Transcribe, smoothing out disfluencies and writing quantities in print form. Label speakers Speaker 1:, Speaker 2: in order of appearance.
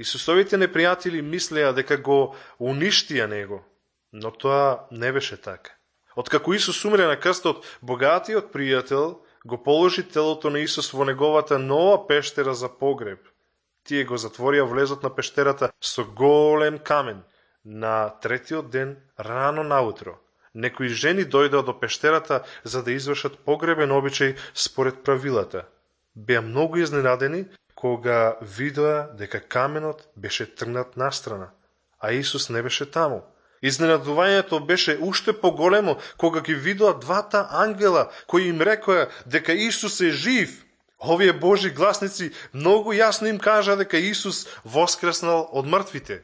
Speaker 1: Исусовите непријатели мислеа дека го уништија него, но тоа не беше така. Откако Исус умре на крстот, богатиот пријател го положи телото на Исус во неговата нова пештера за погреб. Тие го затворија влезот на пештерата со голем камен. На третиот ден, рано наутро, некои жени дојдоа до пештерата за да извршат погребен обичај според правилата. Беа многу изненадени кога видоа дека каменот беше тргнат настрана, а Исус не беше таму. Изненадувањето беше уште поголемо кога ги видоа двата ангела кои им рекоа дека Исус е жив. Овие Божи гласници многу јасно им кажа дека Исус воскреснал од мртвите.